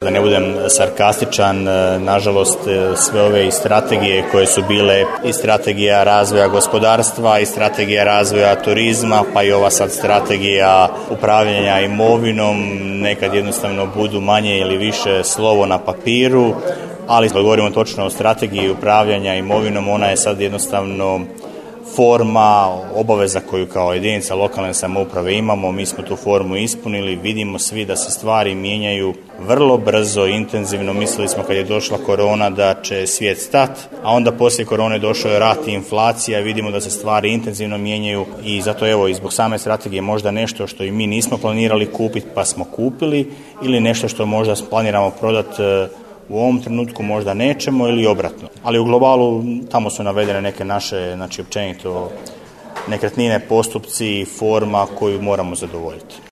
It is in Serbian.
Da ne budem sarkastičan, nažalost sve ove i strategije koje su bile i strategija razvoja gospodarstva i strategija razvoja turizma, pa i ova sad strategija upravljanja imovinom nekad jednostavno budu manje ili više slovo na papiru, ali kad govorimo točno o strategiji upravljanja imovinom, ona je sad jednostavno forma, obaveza koju kao jedinica lokalne samouprave imamo. Mi smo tu formu ispunili, vidimo svi da se stvari mijenjaju vrlo brzo, intenzivno. Mislili smo kad je došla korona da će svijet stati, a onda poslije korone došao je rat i inflacija, vidimo da se stvari intenzivno mijenjaju i zato evo i zbog same strategije možda nešto što i mi nismo planirali kupiti pa smo kupili ili nešto što možda planiramo prodati u ovom trenutku možda nećemo ili obratno. Ali u globalu tamo su navedene neke naše, općenito nekretnine, postupci, forma koju moramo zadovoljiti.